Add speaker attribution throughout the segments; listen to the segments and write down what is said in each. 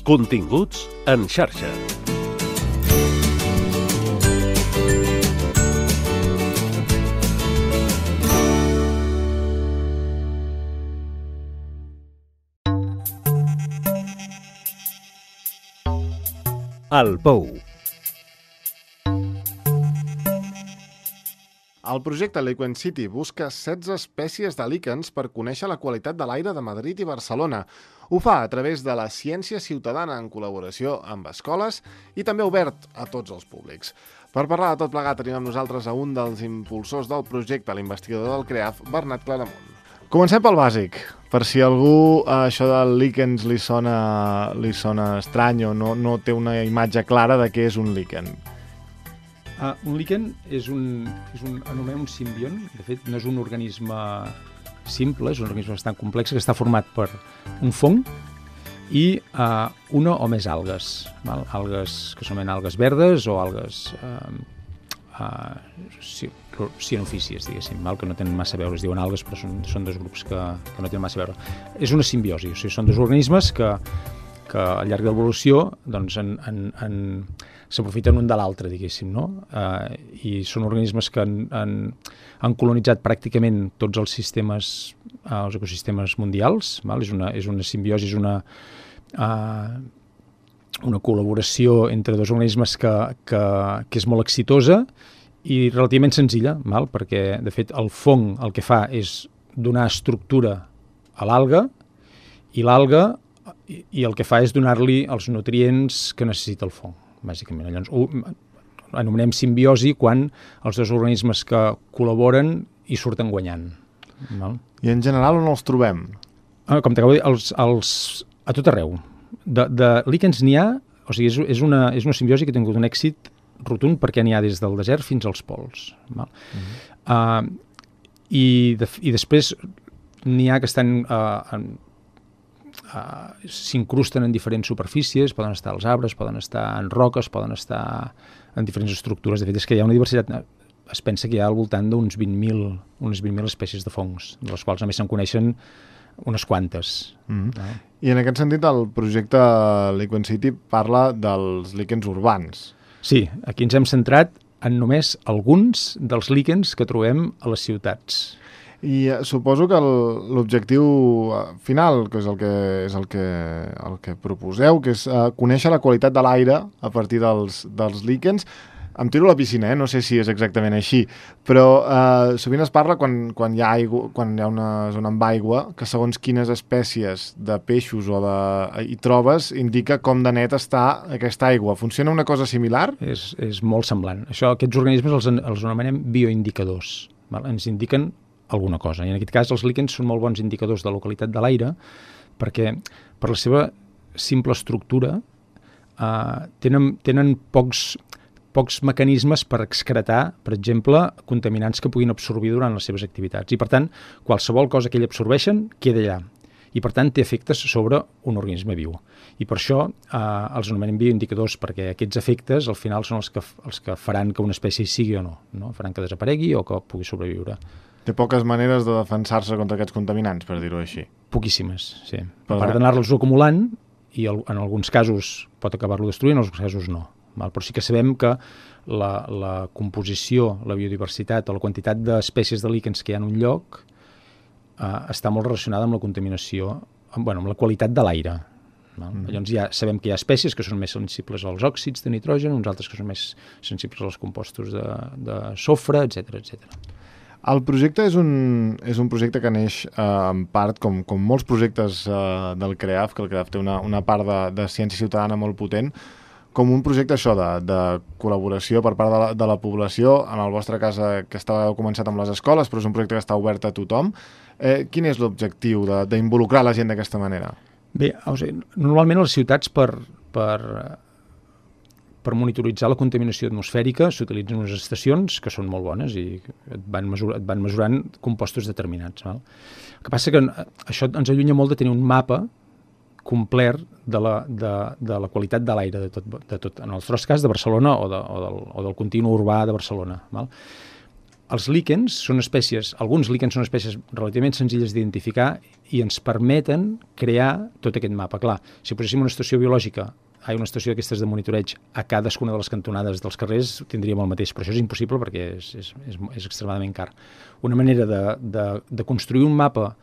Speaker 1: Continguts en xarxa. El Pou.
Speaker 2: El projecte Liquen City busca 16 espècies de líquens per conèixer la qualitat de l'aire de Madrid i Barcelona. Ho fa a través de la ciència ciutadana en col·laboració amb escoles i també obert a tots els públics. Per parlar de tot plegat tenim amb nosaltres a un dels impulsors del projecte, l'investigador del CREAF, Bernat Claramunt. Comencem pel bàsic, per si algú això del líquens li sona estrany o no té una imatge clara de què és un líquen.
Speaker 3: Un líquen anomenem un simbiont. De fet, no és un organisme simple, és un organisme bastant complex que està format per un fong i una o més algues. Algues que s'anomenen algues verdes o algues cianofícies, diguéssim, que no tenen massa a veure, es diuen algues, però són dos grups que no tenen massa a veure. És una simbiosi, o sigui, són dos organismes que al llarg de l'evolució doncs, s'aprofiten un de l'altre, diguéssim, no? I són organismes que han colonitzat pràcticament tots els ecosistemes mundials. És una simbiosi, és una col·laboració entre dos organismes que és molt exitosa i relativament senzilla, perquè, de fet, el fong el que fa és donar estructura a l'alga i l'alga i el que fa és donar-li els nutrients que necessita el fong, bàsicament. Llavors, anomenem simbiosi quan els dos organismes que col·laboren hi surten guanyant.
Speaker 2: I en general on els trobem?
Speaker 3: Com t'acabo de dir, a tot arreu. De líquens n'hi ha, o sigui, és una simbiosi que ha tingut un èxit rotund perquè n'hi ha des del desert fins als pols. I després n'hi ha que s'incrusten en diferents superfícies, poden estar als arbres, poden estar en roques, poden estar en diferents estructures. De fet, és que hi ha una diversitat. Es pensa que hi ha al voltant d'unes 20.000 espècies de fongs, de les quals només se'n coneixen unes quantes.
Speaker 2: I en aquest sentit el projecte Liquen City parla dels líquens urbans.
Speaker 3: Sí, aquí ens hem centrat en només alguns dels líquens que trobem a les ciutats.
Speaker 2: I suposo que l'objectiu final, que és el que proposeu, que és conèixer la qualitat de l'aire a partir dels líquens. Em tiro a la piscina, no sé si és exactament així, però sovint es parla quan hi ha una zona amb aigua, que segons quines espècies de peixos hi trobes, indica com de net està aquesta aigua. Funciona una cosa similar?
Speaker 3: És molt semblant. Aquests organismes els anomenem bioindicadors. Ens indiquen alguna cosa. I en aquest cas els líquens són molt bons indicadors de la qualitat de l'aire perquè per la seva simple estructura tenen pocs mecanismes per excretar, per exemple, contaminants que puguin absorbir durant les seves activitats. I, per tant, qualsevol cosa que ells absorbeixen queda allà. I, per tant, té efectes sobre un organisme viu. I per això els anomenem bioindicadors, perquè aquests efectes, al final, són els que faran que una espècie sigui o no? Faran que desaparegui o que pugui sobreviure.
Speaker 2: Té poques maneres de defensar-se contra aquests contaminants, per dir-ho així.
Speaker 3: Poquíssimes, sí. A part d'anar-los acumulant, i en alguns casos pot acabar-lo destruint, en alguns casos no. Però sí que sabem que la composició, la biodiversitat o la quantitat d'espècies de líquens que hi ha en un lloc està molt relacionada amb la contaminació, amb la qualitat de l'aire. Llavors ja sabem que hi ha espècies que són més sensibles als òxids de nitrogen, uns altres que són més sensibles als compostos de sofre, etc.
Speaker 2: El projecte és un projecte que neix en part, com molts projectes del CREAF, que el CREAF té una part de ciència ciutadana molt potent, com un projecte de col·laboració per part de la població, en el vostre cas que heu començat amb les escoles, però és un projecte que està obert a tothom. Quin és l'objectiu d'involucrar la gent d'aquesta manera?
Speaker 3: Bé, normalment a les ciutats per monitoritzar la contaminació atmosfèrica s'utilitzen unes estacions que són molt bones i et van mesurant compostos determinats. El que passa que això ens allunya molt de tenir un mapa complet de la qualitat de l'aire de tot, en el nostre cas de Barcelona o del continu urbà de Barcelona. els líquens són espècies, alguns líquens són espècies relativament senzilles d'identificar i ens permeten crear tot aquest mapa. Clar, si poséssim una estació biològica, una estació d'aquestes de monitoreig a cadascuna de les cantonades dels carrers, tindríem el mateix, però això és impossible perquè és extremadament car. Una manera de construir un mapa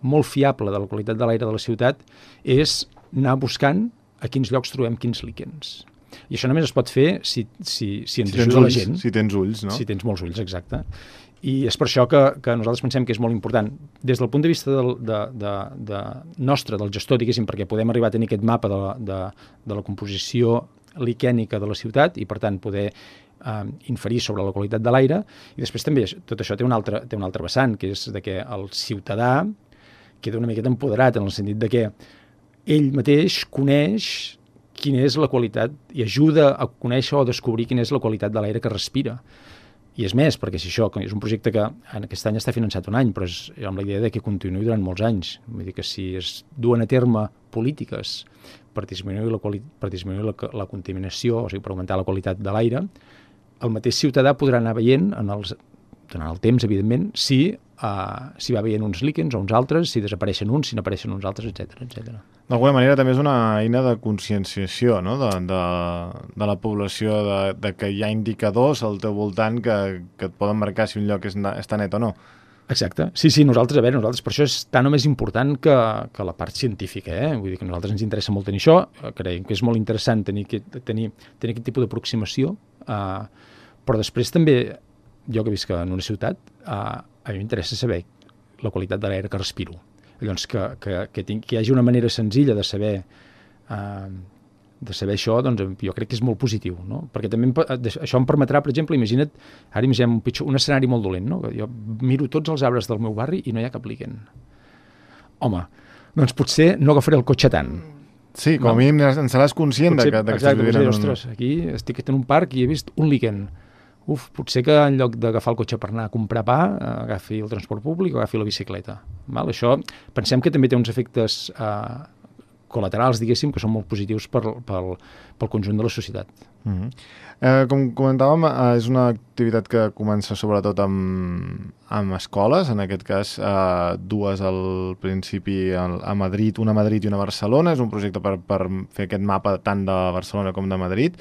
Speaker 3: molt fiable de la qualitat de l'aire de la ciutat és anar buscant a quins llocs trobem quins líquens. I això només es pot fer si ens ajuda la gent.
Speaker 2: Si tens ulls, no?
Speaker 3: Si tens molts ulls, exacte. I és per això que nosaltres pensem que és molt important. Des del punt de vista nostre, del gestor, diguéssim, perquè podem arribar a tenir aquest mapa de la composició liquènica de la ciutat i, per tant, poder inferir sobre la qualitat de l'aire. I després també tot això té un altre vessant, que és de que el ciutadà queda una miqueta empoderat en el sentit de que ell mateix coneix quina és la qualitat i ajuda a conèixer o a descobrir quina és la qualitat de l'aire que respira. I és més, perquè si això és un projecte que aquest any està finançat un any, però és amb la idea de que continuï durant molts anys. Vull dir que si es duen a terme polítiques per disminuir la contaminació, o sigui, per augmentar la qualitat de l'aire, el mateix ciutadà podrà anar veient, durant el temps, evidentment, si va veient uns líquens o uns altres, si desapareixen uns, si n'apareixen uns altres, etc.
Speaker 2: D'alguna manera també és una eina de conscienciació, no? de la població, de que hi ha indicadors al teu voltant que et poden marcar si un lloc està net o no.
Speaker 3: Exacte. Sí, nosaltres per això és tan o més important que la part científica, Vull dir que a nosaltres ens interessa molt tenir això, creiem que és molt interessant tenir aquest tipus d'aproximació, però després també, jo que visc en una ciutat, a mi m'interessa saber la qualitat de l'aire que respiro. Llavors, que hi hagi una manera senzilla de saber això, doncs jo crec que és molt positiu, no? Perquè també això em permetrà, per exemple, ara imaginem un escenari molt dolent, no? Jo miro tots els arbres del meu barri i no hi ha cap líquen. Home, doncs potser no agafaré el cotxe tant.
Speaker 2: Sí, com a mínim en seràs conscient que estàs vivint en
Speaker 3: ostres, aquí estic en un parc i he vist un líquen. Potser que en lloc d'agafar el cotxe per anar a comprar pa, agafi el transport públic o agafi la bicicleta. Això pensem que també té uns efectes col·laterals, diguéssim, que són molt positius pel conjunt de la societat.
Speaker 2: Com comentàvem, és una activitat que comença sobretot amb escoles, en aquest cas dues al principi a Madrid, una a Madrid i una a Barcelona. És un projecte per fer aquest mapa tant de Barcelona com de Madrid.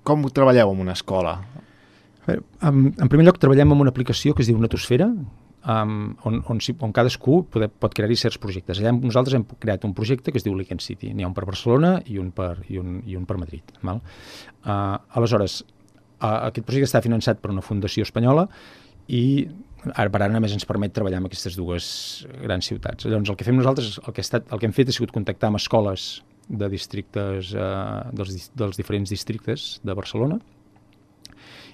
Speaker 2: Com treballeu en una escola?
Speaker 3: En primer lloc, treballem amb una aplicació que es diu Natosfera, on cadascú pot crear-hi certs projectes. Allà nosaltres hem creat un projecte que es diu Líquen City. N'hi ha un per Barcelona i un per Madrid. Aleshores, aquest projecte està finançat per una fundació espanyola i ara només ens permet treballar amb aquestes dues grans ciutats. Llavors, el que fem nosaltres, el que hem fet ha sigut contactar amb escoles de districtes, dels diferents districtes de Barcelona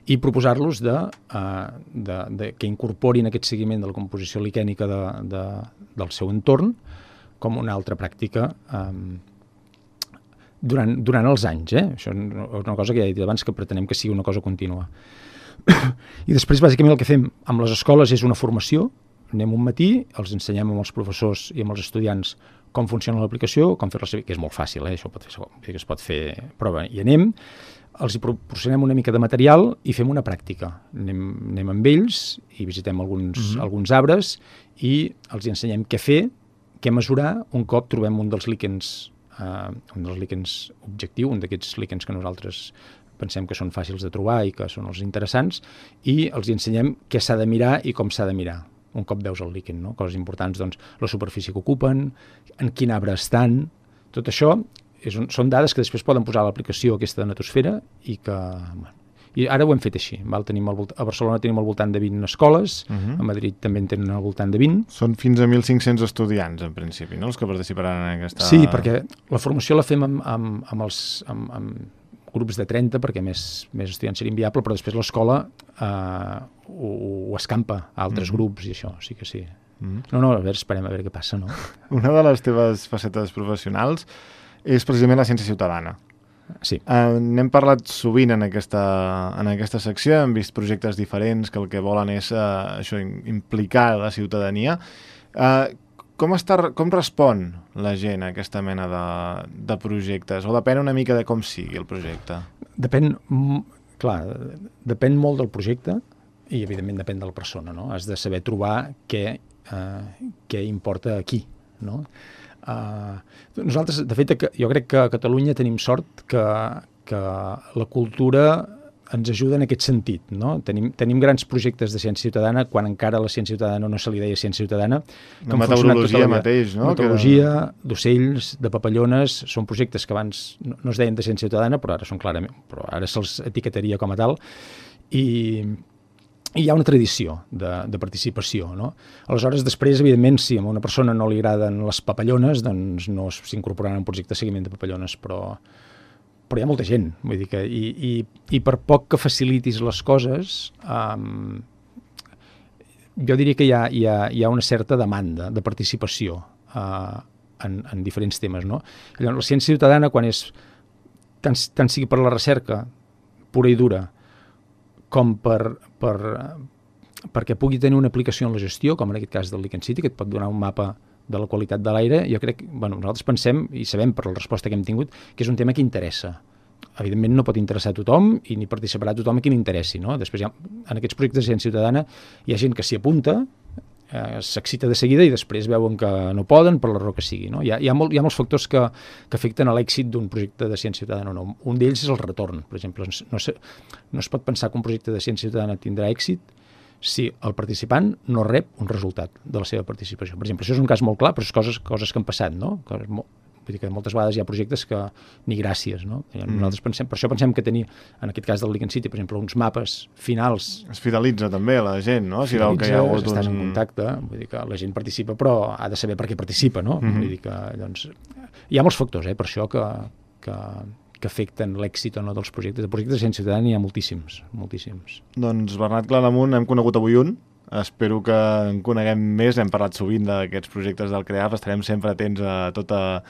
Speaker 3: i proposar-los que incorporin aquest seguiment de la composició liquènica del seu entorn com una altra pràctica durant els anys. Això és una cosa que ja he dit abans, que pretenem que sigui una cosa contínua. I després, bàsicament, el que fem amb les escoles és una formació. Anem un matí, els ensenyem amb els professors i amb els estudiants com funciona l'aplicació, com fer-la servir, que és molt fàcil, això es pot fer prova. I anem, els hi proporcionem una mica de material i fem una pràctica. Anem amb ells i visitem alguns arbres i els hi ensenyem què fer, què mesurar un cop trobem un dels líquens objectiu, un d'aquests líquens que nosaltres pensem que són fàcils de trobar i que són els interessants, i els hi ensenyem què s'ha de mirar i com s'ha de mirar un cop veus el líquen, no? Coses importants, doncs, la superfície que ocupen, en quin arbre estan. Tot això són dades que després poden posar a l'aplicació aquesta de Natosfera i ara ho hem fet així. A Barcelona tenim al voltant de 20 escoles, a Madrid també en tenen al voltant de 20.
Speaker 2: Són fins a 1.500 estudiants, en principi, no?, els que participaran en aquesta...
Speaker 3: Sí, perquè la formació la fem amb grups de 30, perquè més estudiants seria inviable, però després l'escola ho escampa a altres grups i això, sí que sí. No, a veure, esperem a veure què passa, no?
Speaker 2: Una de les teves facetes professionals és precisament la ciència ciutadana.
Speaker 3: Sí.
Speaker 2: N'hem parlat sovint en aquesta secció, hem vist projectes diferents que el que volen és implicar la ciutadania. Com respon la gent a aquesta mena de projectes? O depèn una mica de com sigui el projecte?
Speaker 3: Depèn... Clar, depèn molt del projecte i, evidentment, depèn de la persona, no? Has de saber trobar què importa a qui, no? Nosaltres, de fet, jo crec que a Catalunya tenim sort que la cultura ens ajuda en aquest sentit, no? Tenim grans projectes de ciència ciutadana quan encara la ciència ciutadana no se li deia ciència ciutadana.
Speaker 2: La meteorologia mateix, no?
Speaker 3: Meteorologia, d'ocells, de papallones, són projectes que abans no es deien de ciència ciutadana, però ara són clarament, però ara se'ls etiquetaria com a tal, i hi ha una tradició de participació, no? Aleshores, després, evidentment, si a una persona no li agraden les papallones, doncs no s'incorporaran en un projecte de seguiment de papallones, però hi ha molta gent, vull dir que, i per poc que facilitis les coses, jo diria que hi ha una certa demanda de participació en diferents temes, no? Llavors, la ciència ciutadana, quan és tant sigui per la recerca pura i dura, com perquè pugui tenir una aplicació en la gestió, com en aquest cas del Lichen City, que et pot donar un mapa de la qualitat de l'aire, jo crec, nosaltres pensem i sabem per la resposta que hem tingut que és un tema que interessa. Evidentment no pot interessar a tothom i ni participarà tothom a qui li interessi, no? Després, en aquests projectes de ciència ciutadana hi ha gent que s'hi apunta, s'excita de seguida i després veuen que no poden per la raó que sigui, no? Hi ha molts factors que afecten a l'èxit d'un projecte de ciència ciutadana o no. Un d'ells és el retorn, per exemple. No es pot pensar que un projecte de ciència ciutadana tindrà èxit si el participant no rep un resultat de la seva participació. Per exemple, això és un cas molt clar, però és coses que han passat, no? Vull dir que moltes vegades hi ha projectes que ni gràcies, no? Nosaltres per això pensem que tenir, en aquest cas del Lichen City, per exemple, uns mapes finals...
Speaker 2: Es fidelitza també la gent, no? Si veu que hi ha hagut
Speaker 3: estan en contacte, vull dir que la gent participa, però ha de saber per què participa, no? Vull dir que, doncs... Hi ha molts factors, per això que afecten l'èxit o no dels projectes. De projectes de ciència ciutadana hi ha moltíssims.
Speaker 2: Doncs Bernat Claramunt, hem conegut avui un. Espero que en coneguem més. Hem parlat sovint d'aquests projectes del CREAF. Estarem sempre atents a tota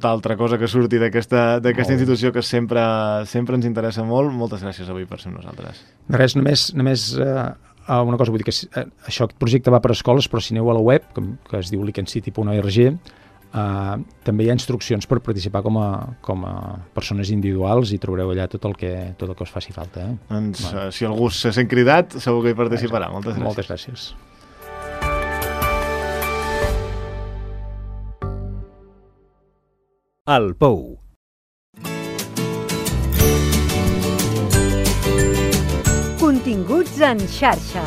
Speaker 2: altra cosa que surti d'aquesta institució que sempre ens interessa molt. Moltes gràcies avui per ser amb nosaltres.
Speaker 3: Res, només una cosa, vull dir que aquest projecte va per escoles, però si aneu a la web, que es diu lichencity.org, també hi ha instruccions per participar com a persones individuals i trobareu allà tot el que us faci falta.
Speaker 2: Doncs, si algú se sent cridat, segur que hi participarà. Moltes gràcies.
Speaker 3: Moltes gràcies.
Speaker 1: El Pou.
Speaker 4: Continguts en xarxa.